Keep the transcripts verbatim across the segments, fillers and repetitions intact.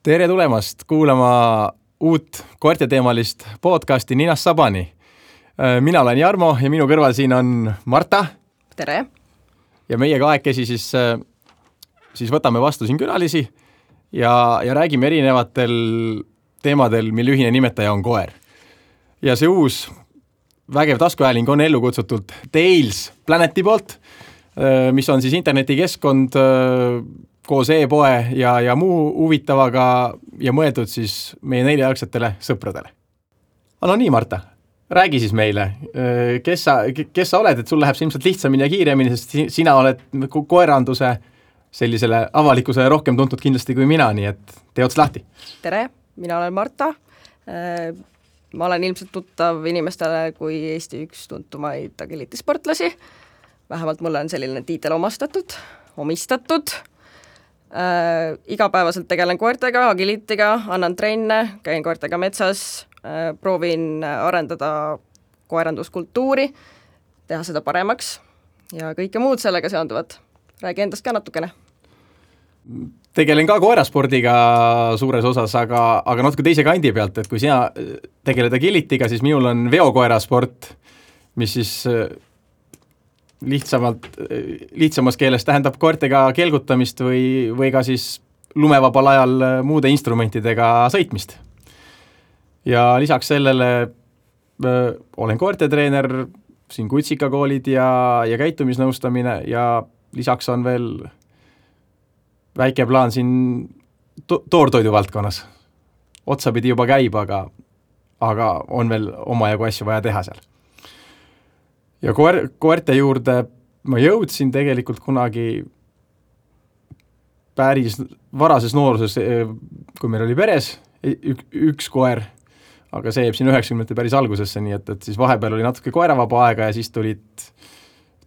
Tere tulemast kuulama uut koerteteemalist podcasti Ninast Sabani. Mina olen Jarmo ja minu kõrval siin on Marta. Tere! Ja meie kahekesi siis, siis võtame vastu siin külalisi ja, ja räägime erinevatel teemadel, mille ühine nimetaja on koer. Ja see uus vägev taskuhääling on ellu kutsutult Tails Planeti poolt, mis on siis internetikeskkond koos e-poe ja, ja muu huvitavaga ja mõeldud siis meie neljajalgsetele sõpradele. No nii, Marta, räägi siis meile, kes sa, kes sa oled, et sul läheb see ilmselt lihtsamini ja kiiremini, sest sina oled koeranduse sellisele avalikkusele rohkem tuntud kindlasti kui mina, nii et tee ots lahti. Tere, mina olen Marta. Ma olen ilmselt tuttav inimestele kui Eesti üks tuntumaid agilitisportlasi. Vähemalt mulle on selline tiitel omastatud, omistatud. Äh, igapäevaselt tegelen koertega, agilitiga, annan trenne, käin koertega metsas, äh, proovin arendada koeranduskultuuri, teha seda paremaks ja kõike muud sellega seonduvat. Räägi endast ka natukene. Tegelen ka koeraspordiga suures osas, aga, aga natuke teise kandi pealt, et kui sina tegeled agilitiga, siis minul on veokoerasport, mis siis lihtsamalt, lihtsamas keeles tähendab koertega kelgutamist või, või ka siis lumevabal ajal muude instrumentidega sõitmist. Ja lisaks sellele öö, olen koertetreener, siin kutsikakoolid ja, ja käitumisnõustamine ja lisaks on veel väike plaan siin to- toortoidu valdkonnas. Otsapidi juba käib, aga, aga on veel omajagu asju vaja teha seal. Ja koer, koerte juurde ma jõudsin tegelikult kunagi päris varases nooruses, kui meil oli peres ük, üks koer, aga see jääb siin üheksakümnendate päris algusesse, nii et, et siis vahepeal oli natuke koeravaba aega ja siis tulid,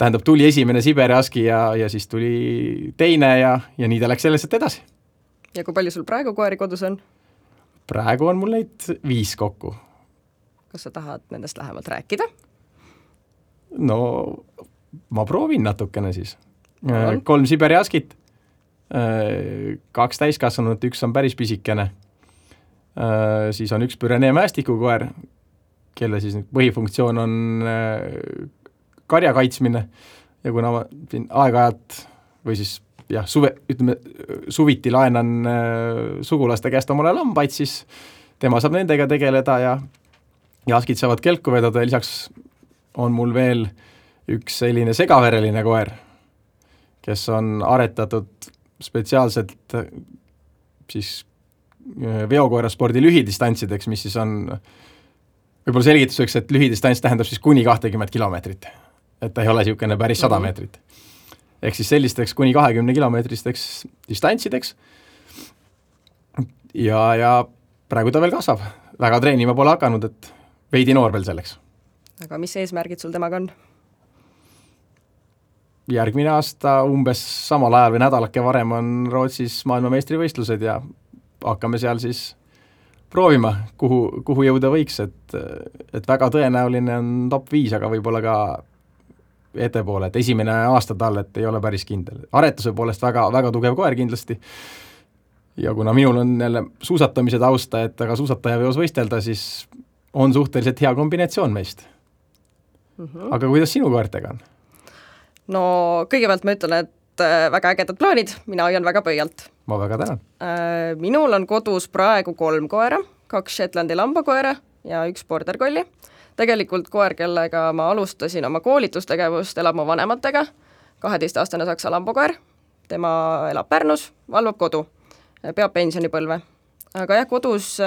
tähendab, tuli esimene Siberi Husky ja, ja siis tuli teine ja, ja nii ta läks sellest edasi. Ja kui palju sul praegu koeri kodus on? Praegu on mul neid viis kokku. Kas sa tahad nendest lähemalt rääkida? No, ma proovin natukene siis. On. Kolm Siberi Huskyt, kaks täiskasvanut, üks on päris pisikene. Siis on üks Pyrenee mästikukoer, kelle siis põhifunktsioon on karja kaitsmine ja kuna ma siin aeg-ajalt või siis jah, suve, ütleme, suviti laenan sugulaste käest omale lambaid, siis tema saab nendega tegeleda ja, ja Huskyd saavad kelku vedada ja lisaks on mul veel üks selline segavereline koer, kes on aretatud spetsiaalselt siis veokoeraspordi lühidistantsideks, mis siis on võib-olla selgituseks, et lühidistants tähendab siis kuni kakskümmend kilomeetrit, et ta ei ole niisugune päris sada meetrit. Ehk siis sellisteks kuni kakskümmend kilomeetristeks distantsideks ja, ja praegu ta veel kasvab. Väga treenima pole hakanud, et veidi noor veel selleks. Aga mis eesmärgid sul temaga on? Järgmine aasta umbes samal ajal või nädalake varem on Rootsis maailmameistrivõistlused ja hakkame seal siis proovima, kuhu, kuhu jõuda võiks, et, et väga tõenäoline on top viis, aga võib-olla ka ettepoole, et esimene aasta tal, et ei ole päris kindel. Aretuse poolest väga, väga tugev koer kindlasti ja kuna minul on jälle suusatamise tausta, et aga suusataja veos võistelda, siis on suhteliselt hea kombinatsioon meist. Mm-hmm. Aga kuidas sinu koertega on? No kõigepealt ma ütlen, et väga ägedad plaanid, mina hoian väga pöialt. Ma väga tänan. Minul on kodus praegu kolm koera, kaks Shetlandi lambakoera ja üks border collie. Tegelikult koer, kellega ma alustasin oma koolitustegevust, elab mu vanematega, kaheteistaastane saksa lambakoer, tema elab Pärnus, valvab kodu, peab pensionipõlve. Aga jah, kodus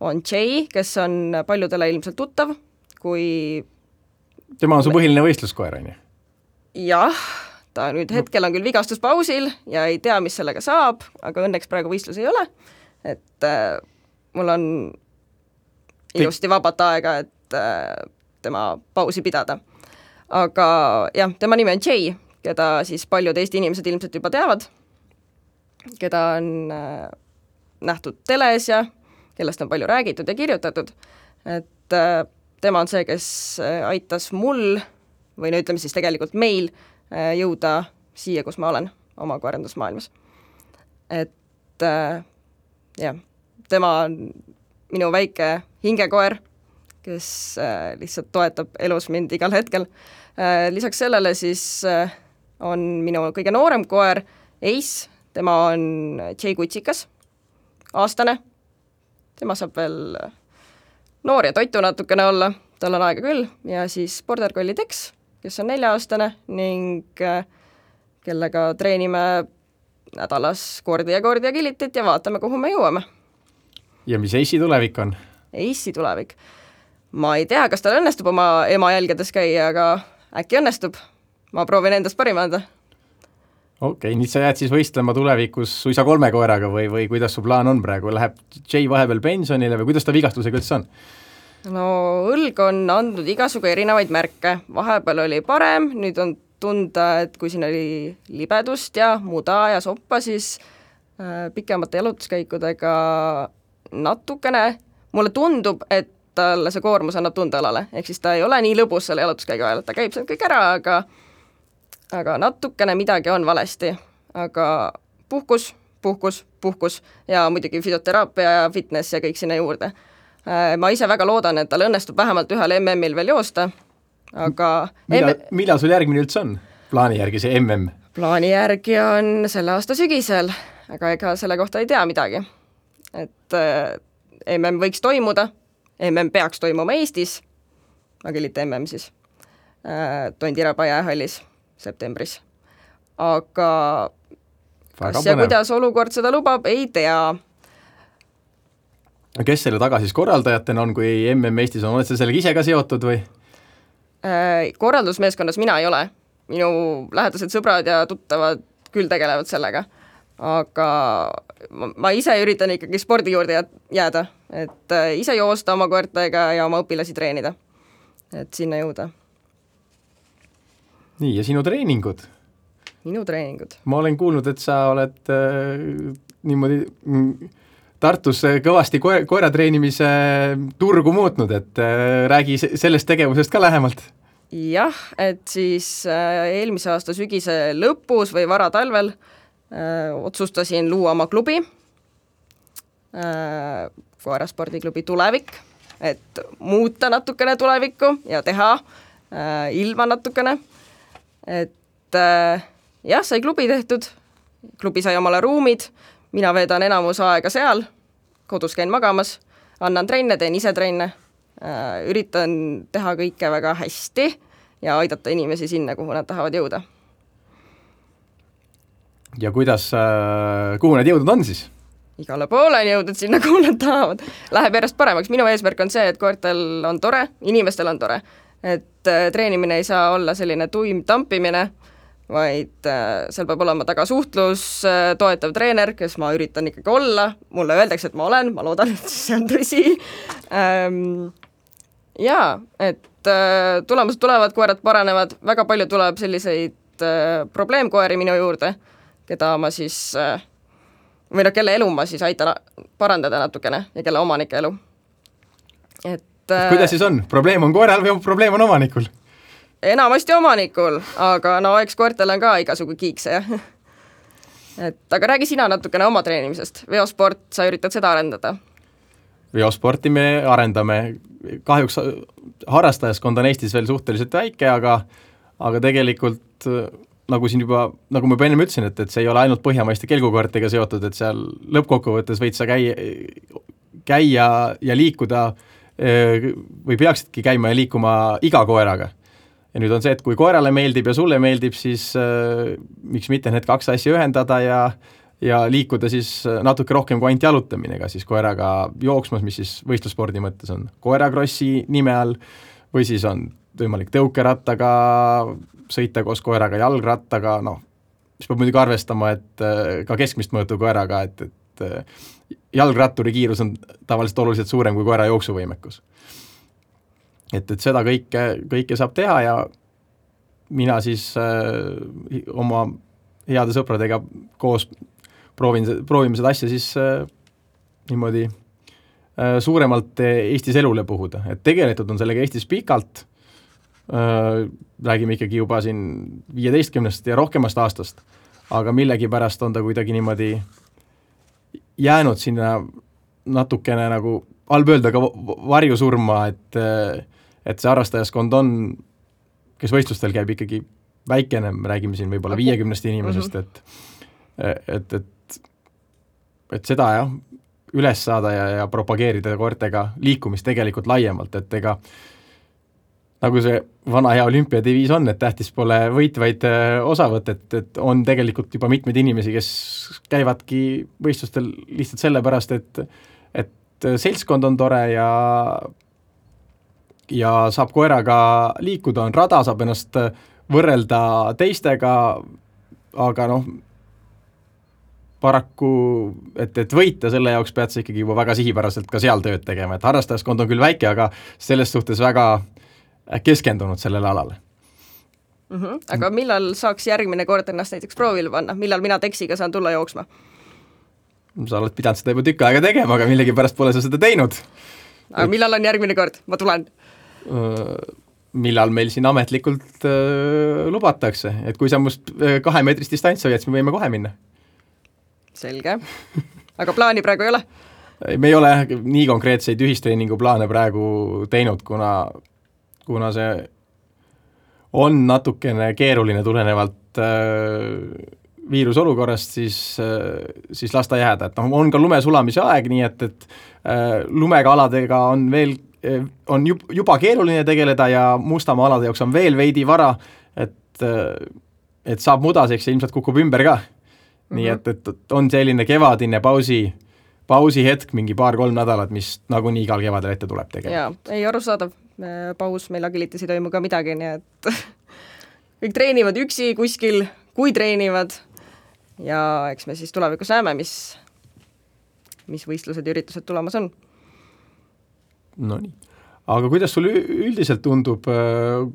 on Jay, kes on paljudele ilmselt tuttav, kui tema on su põhiline võistluskoer, on ju? Jah, ta nüüd hetkel on küll vigastuspausil ja ei tea, mis sellega saab, aga õnneks praegu võistlus ei ole, et äh, mul on ilusti vabat aega, et äh, tema pausi pidada. Aga jah, tema nimi on Jay, keda siis paljud Eesti inimesed ilmselt juba teavad, keda on äh, nähtud teles ja kellest on palju räägitud ja kirjutatud, et äh, tema on see, kes aitas mul või no ütleme siis tegelikult meil jõuda siia, kus ma olen oma koerandusmaailmas. Et jah, tema on minu väike hingekoer, kes äh, lihtsalt toetab elus mind igal hetkel äh,. Lisaks sellele siis äh, on minu kõige noorem koer Ace, tema on J Kutsikas, aastane, tema saab veel noor ja toitu natukene olla, tal on aega küll, ja siis Border Collie Tex, kes on nelja-aastane ning äh, kellega treenime nädalas kordi ja kordi ja kilitit ja vaatame, kuhu me jõuame. Ja mis Ace'i tulevik on? Ace'i tulevik? Ma ei tea, kas tal õnnestub oma ema jälgedes käia, aga äkki õnnestub. Ma proovin endast parima anda. Okei, okay, nüüd sa jääd siis võistlema tulevikus suisa kolme koeraga või, või kuidas su plaan on praegu? Läheb Jay vahepeal pensionile või kuidas ta vigastusega üldse on? No õlg on andnud igasugu erinevaid märke. Vahepeal oli parem, nüüd on tunda, et kui siin oli libedust ja muda ja soppa, siis äh, pikemate jalutuskäikudega natukene, mulle tundub, et talle see koormus annab tunda alale, ehk siis ta ei ole nii lõbus selle jalutuskäigu ajal, ta käib seal kõik ära, aga aga natukene midagi on valesti, aga puhkus, puhkus, puhkus ja muidugi füsioteraapia ja fitness ja kõik sinna juurde. Ma ise väga loodan, et tal õnnestub vähemalt ühel M M-il veel joosta, aga millal, M... millal sul järgmine üldse on? Plaani järgi see M M? Plaani järgi on selle aasta sügisel, aga ega selle kohta ei tea midagi. Et äh, M M võiks toimuda, M M peaks toimuma Eestis, Agilite M M siis, äh, Tondiraba jäähallis septembris. Aga kas ja kuidas olukord seda lubab, ei tea. Kes selle taga siis korraldajatena on, kui M M Eestis on, oled sa sellega ise ka seotud või? Äh, korraldusmeeskonnas mina ei ole. Minu lähedased sõbrad ja tuttavad küll tegelevad sellega. Aga ma, ma ise üritan ikkagi spordi juurde jääda, et äh, ise joosta oma koertega ja oma õpilasi treenida, et sinna jõuda. Nii, ja sinu treeningud? Minu treeningud? Ma olen kuulnud, et sa oled äh, niimoodi mm, Tartus kõvasti koera, koera treenimise turgu muutnud, et äh, räägi sellest tegevusest ka lähemalt. Jah, et siis äh, eelmise aasta sügise lõpus või vara talvel Öö, otsustasin luua oma klubi, koeraspordiklubi Tulevik, et muuta natukene tulevikku ja teha öö, ilma natukene, et öö, jah, sai klubi tehtud, klubi sai omale ruumid, mina veedan enamus aega seal, kodus käin magamas, annan trenne, teen ise trenne, öö, üritan teha kõike väga hästi ja aidata inimesi sinna, kuhu nad tahavad jõuda. Ja kuidas, kuhu need jõudnud on siis? Igale poole on jõudnud sinna, kuhu nad tahavad. Läheb järjest paremaks. Minu eesmärk on see, et koertel on tore, inimestel on tore. Et treenimine ei saa olla selline tuim tampimine, vaid seal peab olema taga suhtlus, toetav treener, kes ma üritan ikkagi olla. Mulle öeldakse, et ma olen, ma loodan, et see on tõsi. Jaa, et tulemused tulevad, koerad paranevad, väga palju tuleb selliseid probleemkoeri minu juurde, keda ma siis, või no kelle elu ma siis aitan parandada natukene ja kelle omanike elu. Et, kuidas siis on? Probleem on koeral või probleem on omanikul? Enamasti omanikul, aga no eks koertel on ka igasugu kiikse. Et, aga räägi sina natukene oma treenimisest. Veosport, sa üritad seda arendada? Veosporti me arendame. Kahjuks harrastajaskond on Eestis veel suhteliselt väike, aga, aga tegelikult nagu siin juba, nagu ma juba ennem ütlesin, et, et see ei ole ainult põhjamaiste kelgukoertega seotud, et seal lõppkokkuvõttes võid sa käia, käia ja liikuda või peaksidki käima ja liikuma iga koeraga. Ja nüüd on see, et kui koerale meeldib ja sulle meeldib, siis äh, miks mitte need kaks asja ühendada ja, ja liikuda siis natuke rohkem kui ainult jalutamine, ka siis koeraga jooksmas, mis siis võistlusspordi mõttes on koerakrossi nime all, või siis on võimalik tõukerattaga sõita koos koeraga, jalgrattaga, noh, mis peab muidugi arvestama, et ka keskmist mõõtu koeraga, et, et jalgratturi kiirus on tavaliselt oluliselt suurem kui koera jooksuvõimekus. Et, et seda kõike, kõike saab teha ja mina siis äh, oma heade sõpradega koos proovin, proovime seda asja siis äh, niimoodi äh, suuremalt Eestis elule puhuda. Et tegelikult on sellega Eestis pikalt, Äh, räägime ikkagi juba siin viieteistkümnest ja rohkemast aastast, aga millegi pärast on ta kuidagi niimoodi jäänud sinna natukene nagu halb öelda ka varjusurma, et, et see harrastajaskond on, kes võistlustel käib ikkagi väikene, me räägime siin võib-olla viiekümnest inimesest, et, et, et, et seda jah, üles saada ja, ja propageerida koertega liikumist tegelikult laiemalt, et ega nagu see vana hea olümpiadiviis on, et tähtis pole võit, vaid osavõtt, et, et on tegelikult juba mitmeid inimesi, kes käivadki võistlustel lihtsalt sellepärast, et, et seltskond on tore ja, ja saab koeraga liikuda, on rada, saab ennast võrrelda teistega, aga noh, paraku, et, et võita selle jaoks pead sa ikkagi juba väga sihipäraselt ka seal tööd tegema, et harrastajaskond on küll väike, aga selles suhtes väga keskendunud sellele alale. Mm-hmm. Aga millal saaks järgmine kord ennast näiteks proovile panna? Millal mina teksiga saan tulla jooksma? Sa oled pidanud seda juba tükk aega tegema, aga millegi pärast pole sa seda teinud. Aga millal on järgmine kord? Ma tulen. Millal meil siin ametlikult äh, lubatakse, et kui sa must kahe meetrist distants hoiad, siis me võime kohe minna. Selge. Aga plaani praegu ei ole? Me ei ole nii konkreetseid ühistreeningu plaane praegu teinud, kuna kuna see on natukene keeruline tulenevalt äh, viirusolukorrast, siis, äh, siis lasta jääda. Et no, on ka lumesulamise aeg, nii et, et äh, lumega aladega on veel, on juba keeruline tegeleda ja mustamaa alade jaoks on veel veidi vara, et, äh, et saab mudaseks ja ilmselt kukub ümber ka. Mm-hmm. Nii et, et, et on selline kevadine pausi, pausi hetk, mingi paar-kolm nädalat, mis nagu nii igal kevadel ette tuleb tegelikult. Jaa, ei arusaadav. Paus, meil agilitis ei toimu ka midagi, nii et kõik treenivad üksi kuskil, kui treenivad ja eks me siis tulevikus näeme, mis, mis võistlused ja üritused tulemas on. No nii. Aga kuidas sul üldiselt tundub,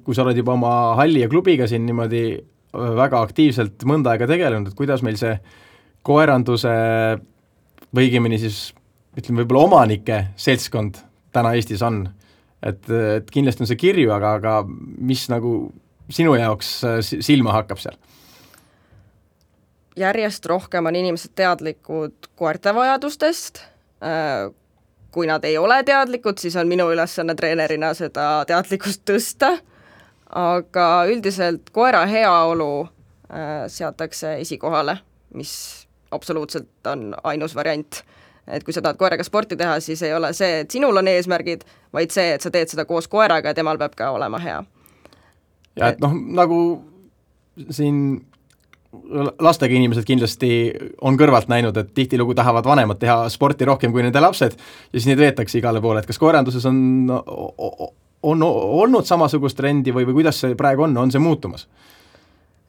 kui sa oled juba oma halli ja klubiga siin niimoodi väga aktiivselt mõnda aega tegelenud, et kuidas meil see koeranduse või õigemini siis ütleme võib-olla omanike seltskond täna Eestis on? Et, et kindlasti on see kirju, aga, aga mis nagu sinu jaoks silma hakkab seal? Järjest rohkem on inimesed teadlikud koerte vajadustest. Kui nad ei ole teadlikud, siis on minu ülesanne treenerina seda teadlikkust tõsta, aga üldiselt koera heaolu seatakse esikohale, mis absoluutselt on ainus variant. Et kui sa tahad koeraga sporti teha, siis ei ole see, et sinul on eesmärgid, vaid see, et sa teed seda koos koeraga ja temal peab ka olema hea. Ja et noh, nagu siin lastega inimesed kindlasti on kõrvalt näinud, et tihtilugu tahavad vanemad teha sporti rohkem kui nende lapsed ja siis neid veetakse igale poole, et kas koeranduses on, on olnud samasugust trendi või, või kuidas see praegu on, on see muutumas?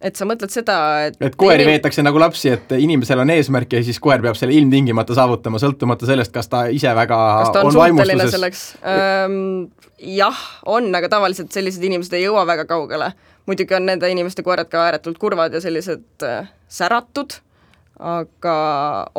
Et sa mõtled seda, et... Et koeri inim... veetakse nagu lapsi, et inimesel on eesmärk ja siis koer peab selle ilmtingimata saavutama, sõltumata sellest, kas ta ise väga kas ta on, on vaimustuses. Selleks? Ähm, jah, on, aga tavaliselt sellised inimesed ei jõua väga kaugele. Muidugi on nende inimeste koerad ka ääretult kurvad ja sellised äh, säratud, aga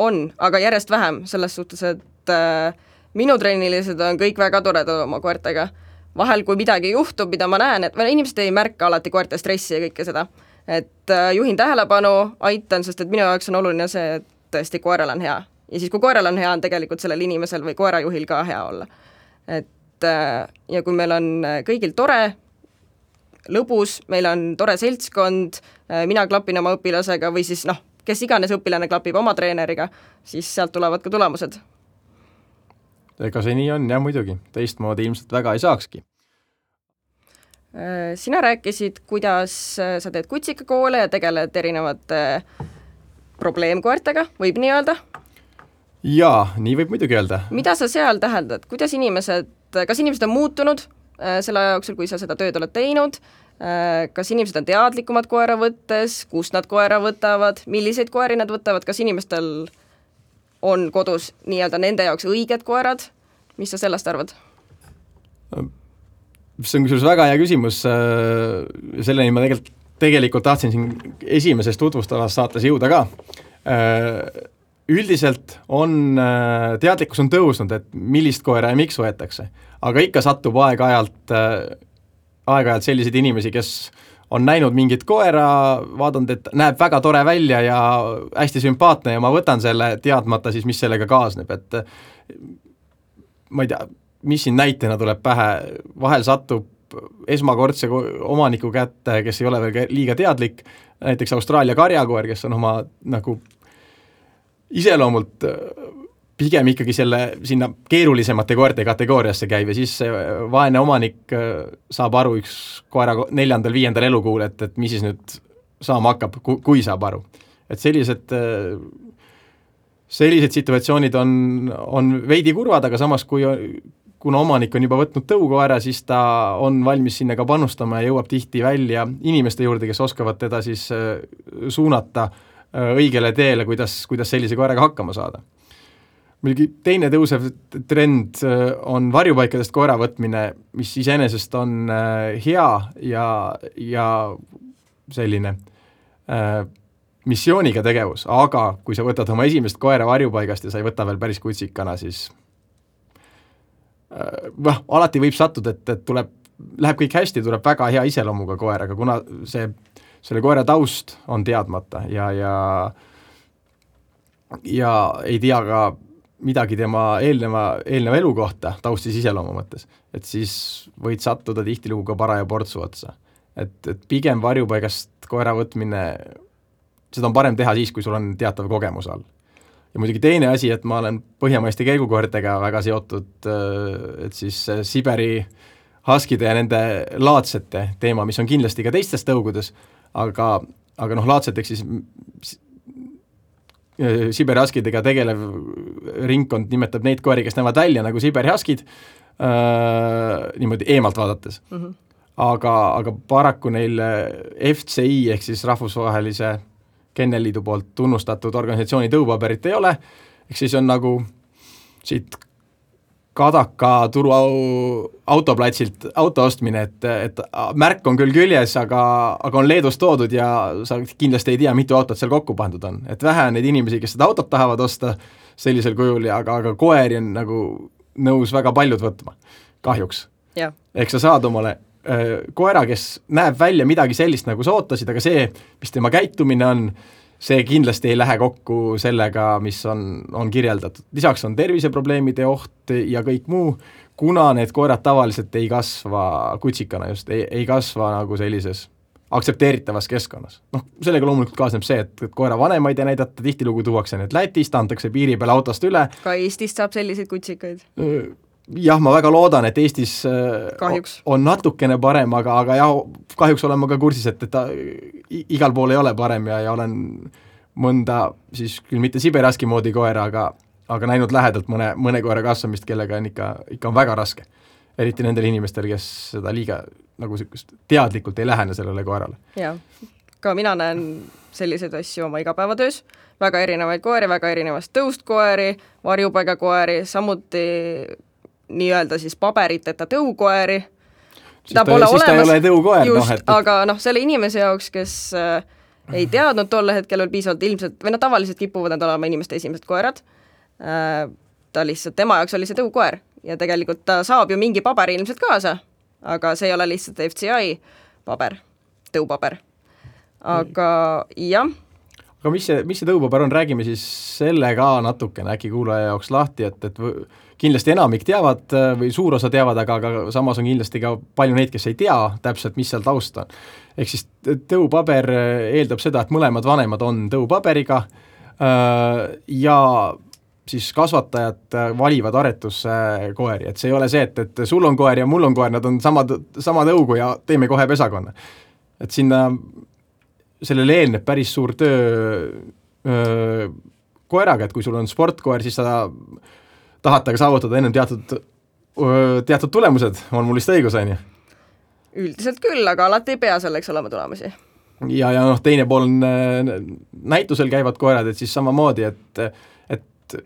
on, aga järjest vähem selles suhtes, et äh, minu treenilised on kõik väga toredad oma koertega. Vahel, kui midagi juhtub, mida ma näen, et inimesed ei märka alati koerte stressi ja kõike seda, et juhin tähelepanu, aitan, sest et minu jaoks on oluline see, et tõesti koeral on hea. Ja siis, kui koeral on hea, on tegelikult sellel inimesel või koerajuhil ka hea olla. Et ja kui meil on kõigil tore, lõbus, meil on tore seltskond, mina klapin oma õpilasega või siis noh, kes iganes õpilane klapib oma treeneriga, siis sealt tulevad ka tulemused. Ega see nii on, jah muidugi. Teistmoodi ilmselt väga ei saakski. Sina rääkisid, kuidas sa teed kutsikakoole ja tegeled erinevate probleemkoertega, võib nii öelda? Jaa, nii võib muidugi öelda. Mida sa seal täheldad? Kuidas inimesed, kas inimesed on muutunud selle jooksul, kui sa seda tööd oled teinud? Kas inimesed on teadlikumad koera võttes? Kust nad koera võtavad? Milliseid koeri nad võtavad? Kas inimestel on kodus nii-öelda nende jaoks õiged koerad? Mis sa sellest arvad? See on kusjuures väga hea küsimus, selleni ma tegelikult, tegelikult tahtsin siin esimeses tutvustavas saates jõuda ka. Üldiselt on, teadlikkus on tõusnud, et millist koera ja miks võetakse, aga ikka satub aeg-ajalt, aeg-ajalt selliseid inimesi, kes on näinud mingit koera, vaadanud, et näeb väga tore välja ja hästi sümpaatne ja ma võtan selle teadmata siis, mis sellega kaasneb, et ma ei tea, mis siin näitena tuleb pähe, vahel satub esmakordse omaniku kätte, kes ei ole veel liiga teadlik, näiteks Austraalia karjakoer, kes on oma nagu iseloomult pigem ikkagi selle sinna keerulisemate koerte kategooriasse käib ja siis vaene omanik saab aru üks koera neljandal, viiendal elukuul, et, et mis siis nüüd saama hakkab, kui saab aru. Et sellised, sellised situatsioonid on, on veidi kurvad, aga samas kui kuna omanik on juba võtnud tõukoera, siis ta on valmis sinna ka panustama ja jõuab tihti välja inimeste juurde, kes oskavad teda siis suunata õigele teele, kuidas, kuidas sellise koeraga hakkama saada. Muidugi teine tõusev trend on varjupaikadest koera võtmine, mis iseenesest on hea ja, ja selline äh, missiooniga tegevus, aga kui sa võtad oma esimest koera varjupaigast ja sa ei võta veel päris kutsikana, siis äh, alati võib sattuda, et, et tuleb, läheb kõik hästi, tuleb väga hea iseloomuga koer, aga kuna see, selle koera taust on teadmata ja, ja, ja ei tea ka midagi tema eelneva, eelneva elu kohta taustis iseloomu mõttes, et siis võid sattuda tihtilugu ka paraja portsu otsa. Et, et pigem varjupaigast koera võtmine, seda on parem teha siis, kui sul on teatav kogemus all. Ja muidugi teine asi, et ma olen põhjamaiste käigukoertega väga seotud, et siis Siberi haskide ja nende laadsete teema, mis on kindlasti ka teistes tõugudes, aga, aga noh, laadseteks siis Siberi haskidega tegelev ringkond nimetab neid koeri, kes näevad välja nagu Siberi haskid, äh, niimoodi eemalt vaadates. Mm-hmm. Aga, aga paraku neil F C I ehk siis rahvusvahelise Kennelliidu poolt tunnustatud organisatsiooni tõupaberit ei ole, ehk siis on nagu siit Kadaka turu autoplatsilt auto ostmine, et, et märk on küll küljes, aga, aga on Leedust toodud ja sa kindlasti ei tea, mitu autot seal kokku pandud on. Et vähe on neid inimesi, kes seda autot tahavad osta sellisel kujul, ja, aga, aga koeri on nagu nõus väga paljud võtma, kahjuks. Yeah. Ehk sa saad omale äh, koera, kes näeb välja midagi sellist, nagu sa ootasid, aga see, mis tema käitumine on, see kindlasti ei lähe kokku sellega, mis on, on kirjeldatud. Lisaks on terviseprobleemide oht ja kõik muu, kuna need koerad tavaliselt ei kasva kutsikana just, ei, ei kasva nagu sellises aktsepteeritavas keskkonnas. Noh, sellega loomulikult kaasneb see, et, et koera vanemaid ei näidata, tihtilugu tuuakse need Lätist, antakse piiri peale autost üle. Ka Eestist saab selliseid kutsikaid? Jah, ma väga loodan, et Eestis kahjuks on natukene parem, aga, aga jah, kahjuks olen ma ka kursis, et, et ta igal pool ei ole parem ja, ja olen mõnda, siis küll mitte Siberaski moodi koera, aga, aga näinud lähedalt mõne, mõne koera kasvamist, kellega on ikka, ikka on väga raske. Eriti nendel inimestel, kes seda liiga nagu teadlikult ei lähene sellele koerale. Jah, ka mina näen selliseid asju oma igapäevatöös, väga erinevaid koeri, väga erinevast tõust koeri, varjupaiga koeri, samuti nii-öelda siis paberiteta tõukoeri. Siis ta, ta, siis ta ei ole tõukoer. Just, no, et... aga noh, selle inimese jaoks, kes äh, ei teadnud tolle hetkel veel piisavalt ilmselt, või no tavaliselt kipuvad nad olema inimeste esimesed koerad, äh, ta lihtsalt, tema jaoks oli see tõukoer ja tegelikult ta saab ju mingi paber ilmselt kaasa, aga see ei ole lihtsalt F C I paber, tõupaber. Aga jah. Aga mis see, mis see tõupaber on, räägime siis selle ka natukene äkki kuulaja jaoks lahti, et, et kindlasti enamik teavad või suur osa teavad, aga, aga samas on kindlasti ka palju neid, kes ei tea täpselt, mis seal taust on. Ehk siis tõupaber eeldab seda, et mõlemad vanemad on tõupaberiga ja siis kasvatajad valivad aretusse koeri, et see ei ole see, et, et sul on koer ja mul on koer, nad on samad, sama tõugu ja teeme kohe pesakonna. Et sinna sellele eelneb päris suur töö öö, koeraga, et kui sul on sportkoer, siis sa tahad taga saavutada ennem teatud, öö, teatud tulemused, on mul vist õigus, on ju? Üldiselt küll, aga alati ei pea selleks olema tulemusi. Ja, ja noh, teine pool on näitusel käivad koerad, et siis samamoodi, et, et,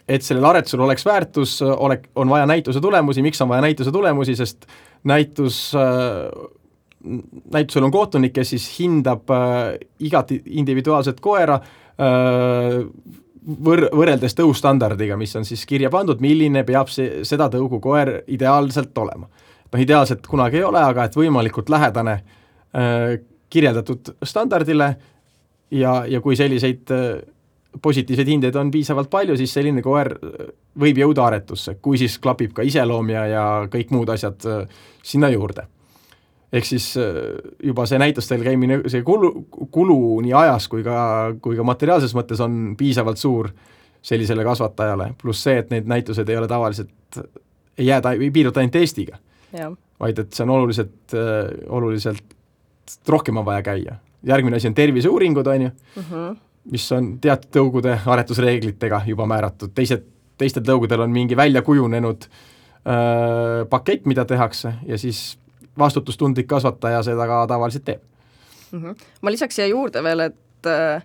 et sellel aretusel oleks väärtus, ole, on vaja näituse tulemusi, miks on vaja näituse tulemusi, sest näitus näitusel on kohtunik, kes siis hindab äh, igat individuaalset koera äh, võr- võrreldes tõustandardiga, mis on siis kirja pandud, milline peab see, seda tõugu koer ideaalselt olema. No ideaalselt kunagi ei ole, aga et võimalikult lähedane kirjeldatud standardile ja, ja kui selliseid positiivseid hindeid on piisavalt palju, siis selline koer võib jõuda aretusse, kui siis klapib ka iseloom ja, ja kõik muud asjad sinna juurde. Ehk siis juba see näitustel käimine, see kulu, kulu nii ajas kui ka, kui ka materiaalses mõttes on piisavalt suur sellisele kasvatajale, pluss see, et need näitused ei ole tavaliselt, ei jääda, ei piirduta ainult Eestiga, ja. Vaid et see on oluliselt, oluliselt rohkem on vaja käia. Järgmine asi on terviseuuringud, on ju, uh-huh. mis on teatud tõugude aretusreeglitega juba määratud, teised, teistel tõugudel on mingi välja kujunenud äh, pakett, mida tehakse ja siis vastutustundlik kasvataja seda ka tavaliselt teeb. Uh-huh. Ma lisaks siia juurde veel, et äh,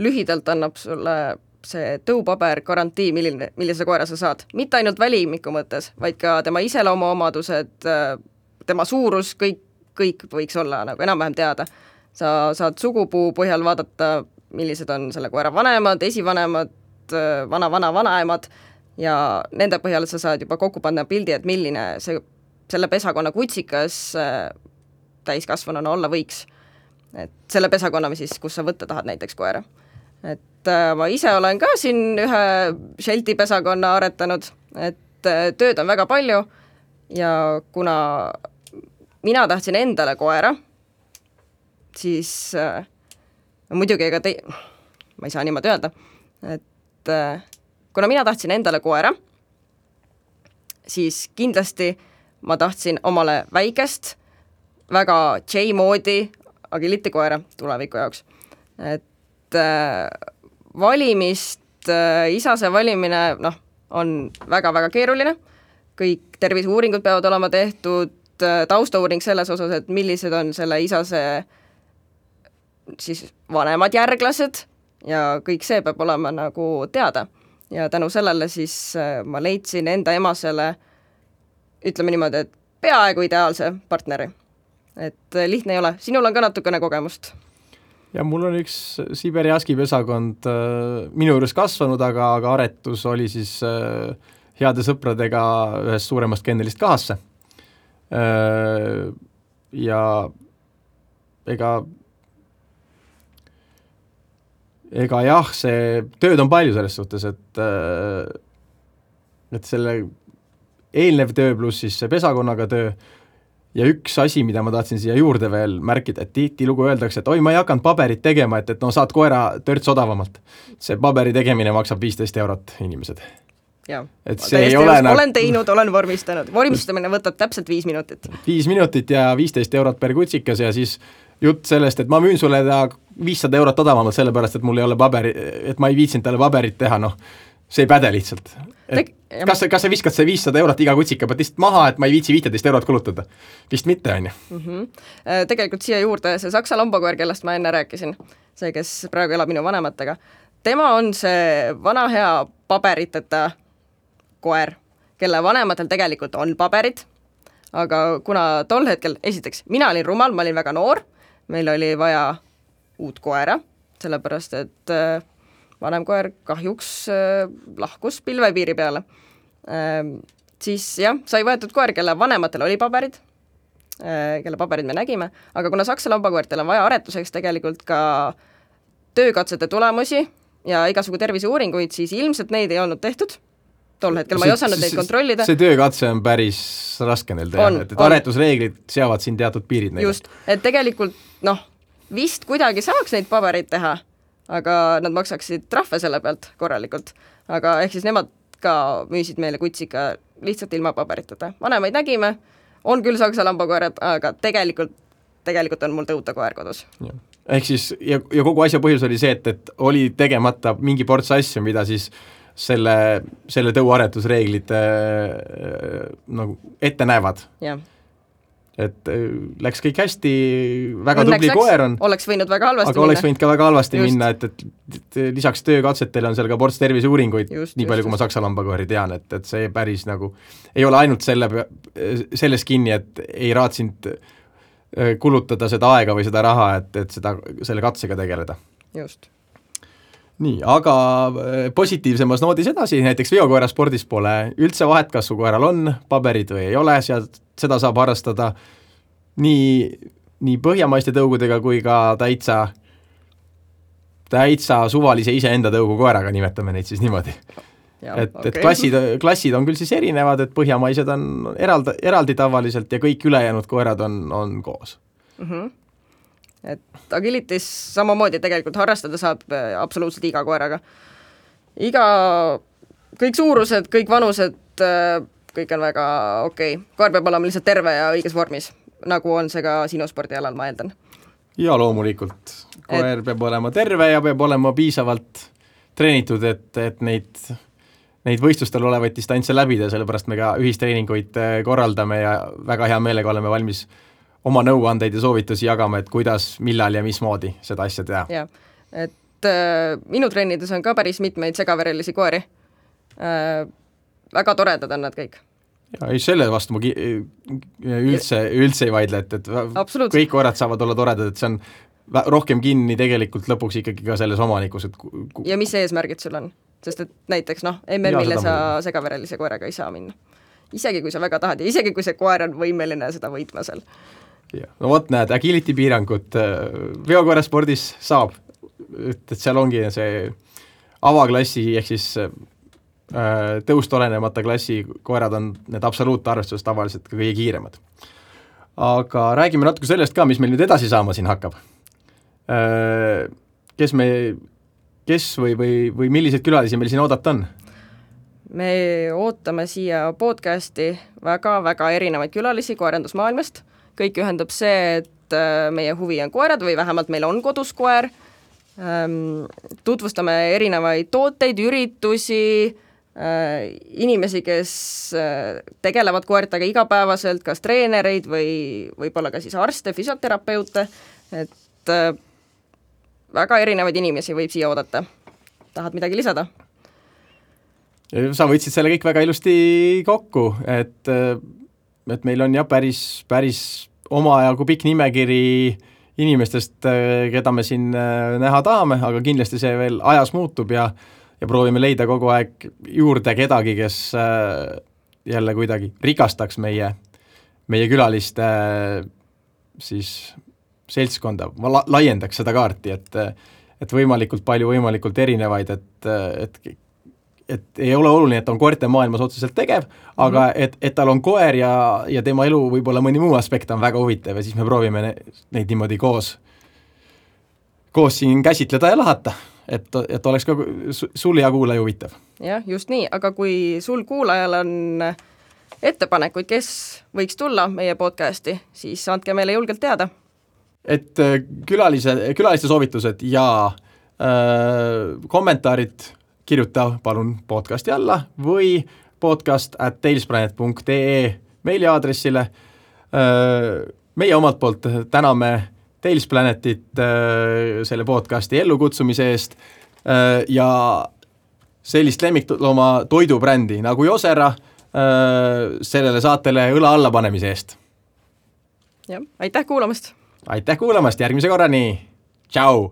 lühidalt annab sulle see tõupaber garantii, milline, millise koera sa saad. Mitte ainult välimiku mõttes, vaid ka tema iseloomuomadused, tema suurus, kõik, kõik võiks olla nagu enam-vähem teada. Sa saad sugupuu põhjal vaadata, millised on selle koera vanemad, esivanemad, vana-vana-vanaemad ja nende põhjal sa saad juba kokku panna pildi, et milline see, selle pesakonna kutsikas täiskasvanuna olla võiks. Et selle pesakonna, siis, kus sa võtta tahad näiteks koera. Et ma ise olen ka siin ühe Shelti pesakonna aretanud, et tööd on väga palju ja kuna mina tahtsin endale koera, siis äh, muidugi ega te... ma ei saa niimoodi öelda, et äh, kuna mina tahtsin endale koera, siis kindlasti ma tahtsin omale väikest, väga J-moodi agilitikoera tuleviku jaoks. Et äh, valimist, äh, isase valimine noh, on väga-väga keeruline, kõik terviseuuringud peavad olema tehtud, äh, taustauuring selles osas, et millised on selle isase siis vanemad järglased ja kõik see peab olema nagu teada. Ja tänu sellele siis äh, ma leidsin enda emasele, ütleme niimoodi, et peaaegu ideaalse partneri. Et äh, lihtne ei ole, sinul on ka natukene kogemust. Ja mul on üks Siberi Husky pesakond äh, minu juures kasvanud, aga, aga aretus oli siis äh, heade sõpradega ühest suuremast kennelist kahasse. Äh, ja ega, ega jah, see tööd on palju selles suhtes, et, äh, et selle eelnev töö pluss siis see pesakonnaga töö. Ja üks asi, mida ma tahtsin siia juurde veel märkida, et tihti lugu öeldakse, et oi, ma ei hakanud paberit tegema, et, et no saad koera törts odavamalt. See paberi tegemine maksab viisteist eurot inimesed. Ja, et see ei ole nagu... olen teinud, olen vormistanud. Vormistamine võtab täpselt viis minutit. Viis minutit ja viisteist eurot per kutsikas ja siis jutt sellest, et ma müün sulle ta viissada eurot odavamalt sellepärast, et mul ei ole paberi, et ma ei viitsinud talle paberit teha, noh, see ei päde lihtsalt. Tek- kas, kas sa viskad see viissada eurot iga kutsika pealt lihtsalt maha, et ma ei viitsi viiteist eurot kulutada? Vist mitte, on ju. Mm-hmm. Tegelikult siia juurde see saksa lambakoer, kellest ma enne rääkisin, see, kes praegu elab minu vanematega, tema on see vana hea paberiteta koer, kelle vanematel tegelikult on paberid, aga kuna tol hetkel, esiteks, mina olin rumal, ma olin väga noor, meil oli vaja uut koera, sellepärast, et vanem koer kahjuks äh, lahkus pilvepiiri peale. Äh, siis jah, sai võetud koer, kelle vanematel oli paberid, äh, kelle paberid me nägime, aga kuna saksa lambakoertel on vaja aretuseks tegelikult ka töökatsete tulemusi ja igasugu terviseuuringuid, siis ilmselt neid ei olnud tehtud. Tol hetkel ma ei osanud neid kontrollida. See töökatse on päris raske neil teha, et, et aretusreeglid seavad siin teatud piirid neile. Just, et tegelikult noh, vist kuidagi saaks neid pabereid teha, aga nad maksaksid trahve selle pealt korralikult. Aga ehk siis nemad ka müüsid meile kutsika lihtsalt ilma paberitata. Vanemaid nägime, on küll saksa lambakoerad, aga tegelikult, tegelikult on mul tõuta koer kodus. Ja. Ehk siis, ja, ja kogu asja põhjus oli see, et, et oli tegemata mingi ports asju, mida siis selle, selle tõuaretusreeglid äh, nagu ette näevad. Jah. Et läks kõik hästi, väga Õnneks tubli läks, koer on. Oleks võinud väga halvasti aga minna. oleks võinud ka väga halvasti just. minna, et, et, et lisaks töökatsetele on seal ka ports terviseuuringuid, just, nii palju, just, kui ma saksa lambakoeri tean, et, et see päris nagu ei ole ainult selle, selles kinni, et ei raatsinud kulutada seda aega või seda raha, et, et seda, selle katsega tegeleda. Just. Nii, aga positiivsemas noodis edasi, näiteks veokoera spordis pole üldse vahet, kas su koeral on paberid või ei ole, sealt seda saab harrastada nii, nii põhjamaiste tõugudega kui ka täitsa, täitsa suvalise iseenda tõugu koeraga, nimetame neid siis niimoodi. Ja, et, okay. et klassid, klassid on küll siis erinevad, et põhjamaised on eraldi, eraldi tavaliselt ja kõik ülejäänud koerad on, on koos. Mm-hmm. Et agilitis samamoodi tegelikult harrastada saab absoluutselt iga koeraga. Iga, kõik suurused, kõik vanused, kõik on väga okei okay.. Koer peab olema lihtsalt terve ja õiges vormis, nagu on see ka sinu spordialal, ma eeldan. Ja loomulikult. Koer et... peab olema terve ja peab olema piisavalt treenitud, et, et neid neid võistlustel olevaid distantse läbida, sellepärast me ka ühistreeninguid korraldame ja väga hea meelega oleme valmis oma nõuandeid ja soovitusi jagama, et kuidas, millal ja mismoodi seda asja teha. Ja, et äh, minu treenides on ka päris mitmeid segaverelisi koeri. Äh, väga toredad on nad kõik. Ja selle vastu ma ki- üldse, üldse ei vaidle, et, et kõik koerad saavad olla toredad, et see on rohkem kinni tegelikult lõpuks ikkagi ka selles omanikus. Et ku- ja mis eesmärgid sul on? Sest et näiteks noh, M M-ile sa segaverelise koeraga ei saa minna. Isegi kui sa väga tahad ja isegi kui see koer on võimeline seda võitma seal. Ja. No vot näed, agility piirangut veokoera spordis saab, et seal ongi see avaklassi ehk siis tõust olenemata klassi koerad on need absoluutarvestuses tavaliselt ka kõige kiiremad. Aga räägime natuke sellest ka, mis meil nüüd edasi saama siin hakkab. Kes me Kes või, või, või millised külalisi meil siin oodata on? Me ootame siia podcasti väga-väga erinevaid külalisi koerandusmaailmast. Kõik ühendab see, et meie huvi on koerad või vähemalt meil on kodus koer. Tutvustame erinevaid tooteid, üritusi, inimesi, kes tegelevad koertega igapäevaselt, kas treenereid või võib-olla ka siis arste, füsioterapeute, et väga erinevaid inimesi võib siia oodata. Tahad midagi lisada? Sa võtsid selle kõik väga ilusti kokku, et, et meil on jah päris, päris omajagu pikk nimekiri inimestest, keda me siin näha tahame, aga kindlasti see veel ajas muutub ja, ja proovime leida kogu aeg juurde kedagi, kes jälle kuidagi rikastaks meie, meie külaliste siis seltskonda, ma la- laiendaks seda kaarti, et, et võimalikult palju, võimalikult erinevaid, et, et, et ei ole oluline, et on koerte maailmas otseselt tegev, aga mm-hmm. et, et tal on koer ja, ja tema elu võib-olla mõni muu aspekt on väga huvitav ja siis me proovime ne, neid niimoodi koos, koos siin käsitleda ja lahata, et, et oleks ka sul ja kuulaja huvitav. Jah, just nii, aga kui sul kuulajal on ettepanekuid, kes võiks tulla meie podcasti, siis andke meile julgelt teada. Et külalise, külaliste soovitused ja äh, kommentaarid kirjuta palun podcasti alla või podcast at tailsplanet punkt ee meiliaadressile. Äh, meie omalt poolt täname Tailsplanetit äh, selle podcasti ellukutsumise eest äh, ja sellist lemmiklooma toidubrändi nagu Josera äh, sellele saatele õla alla panemise eest. Ja, aitäh kuulamast! Aitäh kuulamast, järgmise korrani, tšau!